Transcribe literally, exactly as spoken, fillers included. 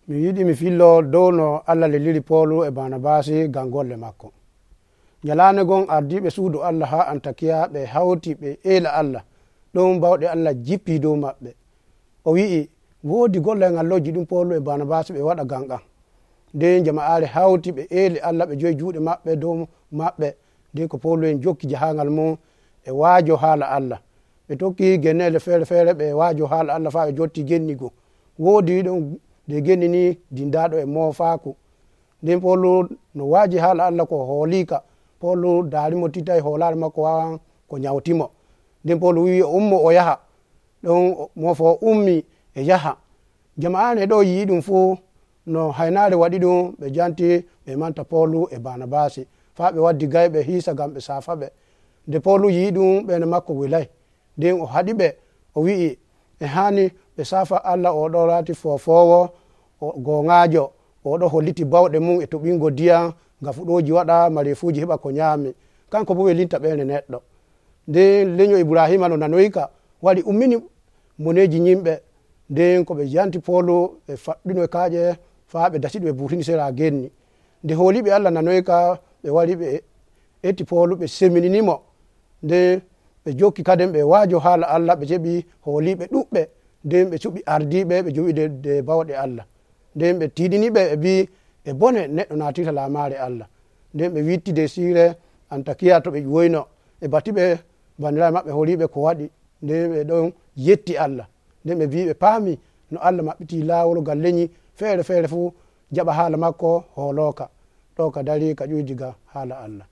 mi yiɗi mi fillo dow no Allah leliri Polu e Barnabasi ngam golle makko. Nyalande gon ardiɓe suudu Allah ha Antakiya ɓe hawti ɓe ela Allah ɗon bawɗe Allah jippi dow maɓɓe. O wi'i woodi gollal ngal lojji ɗum Polu e Barnabasi ɓe waɗa ngam an. Nden jama'are hawti ɓe eli Allah ɓe joyi juuɗe maɓɓe dow maɓɓe. Nden ko Polu en jokki jahangal mum e waajo haala Allah. Ɓe tokki gennele feere feere ɓe waajo haala Allah faa ɓe jotti gennigo. Woodi ɗon de genni ni dindaɗo e moofaku. Nden Polu no waaji haala Allah ko hoolika. Polu daarimo tita e hoolare makko wawan ko nyawtimo. Nden Polu wi o ummo o yaha ɗon moofo ummi e yaha. Jama'are ɗo yii ɗum fuu no haynaare waɗi ɗum ɓe janti ɓe manta Polu e Barnabasi faa ɓe waddi gayɓe hiisa ngam ɓe saafa ɓe. Nde Polu yii ɗum ɓene makko welay. Nden o haɗi ɓe o wi'i e hani ɓe saafa Allah oɗo laati fofowo goŋaajo oɗo holliti bawɗe mum e toɓingo ndiyam gafuɗoji waɗa marefuji heɓa ko nyaami kanko bo welinta ɓeene neɗɗo. Nden leño Ibrahima no nanoyika wari ummini moneji yimɓe. Nden ko ɓe janti Polu ɓe faɗɗino e kaaƴe faa ɓe dasi ɗum e burtini sera genni. Nde hooliɓe Allah nanoyka ɓe wari ɓe etti Polu ɓe semininimo. Nden ɓe jokki kaden ɓe waajo haala Allah ɓe jeɓi hooliɓe ɗuɓɓe. Nden ɓe cuɓi ardiɓe ɓe jowiide de bawɗe Allah. Nden ɓe tiiɗiniɓe ɓe mbi e bone neɗɗo naatita laamaare Allah. Nden ɓe wittide siire Antakiya to ɓe ƴoyno e batiɓe bandiraɓe maɓɓe horiɓe ko waɗi. Nden ɓe ɗon yetti Allah. Nden ɓe mbi ɓe paami no Allah maɓɓiti laawol ngal leñi feere feere fuu jaɓa haala makko hoolooka ɗo ka dari ka ƴuydiga haala Allah.